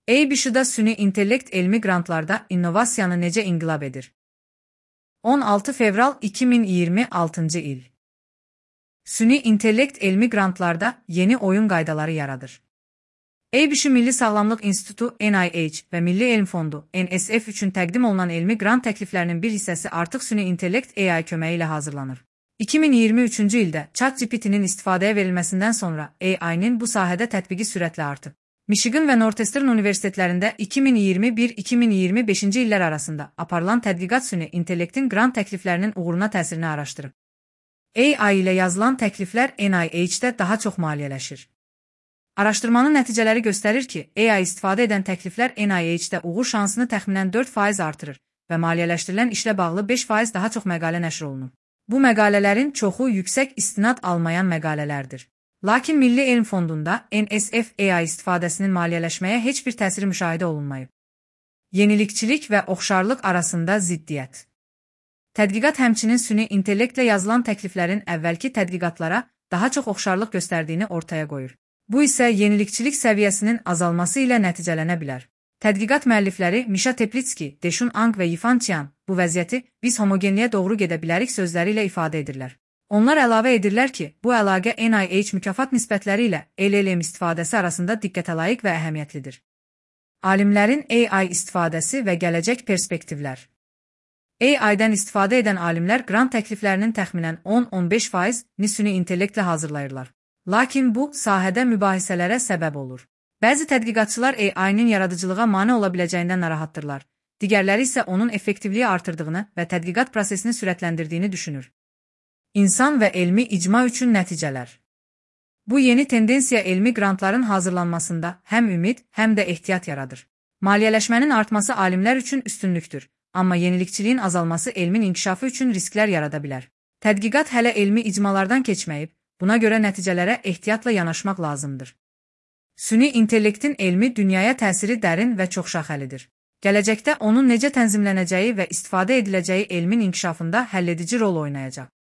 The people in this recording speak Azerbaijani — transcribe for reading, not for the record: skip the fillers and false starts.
ABC-da süni intellekt elmi qrantlarda innovasiyanı necə inqilab edir? 16 fevral 2026 il. Süni intellekt elmi qrantlarda yeni oyun qaydaları yaradır. ABC Milli Sağlamlıq İnstitutu NIH və Milli Elm Fondu NSF üçün təqdim olunan elmi qrant təkliflərinin bir hissəsi artıq süni intellekt AI köməyi ilə hazırlanır. 2023-cü ildə ChatGPT-nin istifadəyə verilməsindən sonra AI-nin bu sahədə tətbiqi sürətlə artıb. Michigan və Northeastern universitetlərində 2021-2025-ci illər arasında aparılan tədqiqat süni intellektin qrant təkliflərinin uğuruna təsirini araşdırıb. AI ilə yazılan təkliflər NIH-də daha çox maliyyələşir. Araşdırmanın nəticələri göstərir ki, AI istifadə edən təkliflər NIH-də uğur şansını təxminən 4% artırır və maliyyələşdirilən işlə bağlı 5% daha çox məqalə nəşr olunub. Bu məqalələrin çoxu yüksək istinad almayan məqalələrdir. Lakin Milli Elm Fondunda NSF AI istifadəsinin maliyyələşməyə heç bir təsiri müşahidə olunmayıb. Yenilikçilik və oxşarlıq arasında ziddiyyət. Tədqiqat həmçinin süni intellektlə yazılan təkliflərin əvvəlki tədqiqatlara daha çox oxşarlıq göstərdiyini ortaya qoyur. Bu isə yenilikçilik səviyyəsinin azalması ilə nəticələnə bilər. Tədqiqat müəllifləri Misha Teplitski, Deşun Ang və Yifan Qian bu vəziyyəti biz homogenliyə doğru gedə bilərik sözləri ilə ifadə edirlər. Onlar əlavə edirlər ki, bu əlaqə NIH mükafat nisbətləri ilə LLM istifadəsi arasında diqqətə layiq və əhəmiyyətlidir. Alimlərin AI istifadəsi və gələcək perspektivlər. AI-dən istifadə edən alimlər qrant təkliflərinin təxminən 10-15%-ni süni intellektlə hazırlayırlar. Lakin bu, sahədə mübahisələrə səbəb olur. Bəzi tədqiqatçılar AI-nin yaradıcılığa mane ola biləcəyindən narahatdırlar. Digərləri isə onun effektivliyi artırdığını və tədqiqat prosesini sürətləndirdiyini düşünür. İnsan və elmi icma üçün nəticələr. Bu yeni tendensiya elmi qrantların hazırlanmasında həm ümid, həm də ehtiyat yaradır. Maliyyələşmənin artması alimlər üçün üstünlükdür, amma yenilikçiliyin azalması elmin inkişafı üçün risklər yarada bilər. Tədqiqat hələ elmi icmalardan keçməyib, buna görə nəticələrə ehtiyatla yanaşmaq lazımdır. Süni intellektin elmi dünyaya təsiri dərin və çoxşaxəlidir. Gələcəkdə onun necə tənzimlənəcəyi və istifadə ediləcəyi elmin inkişafında həlledici rol oynayacaq.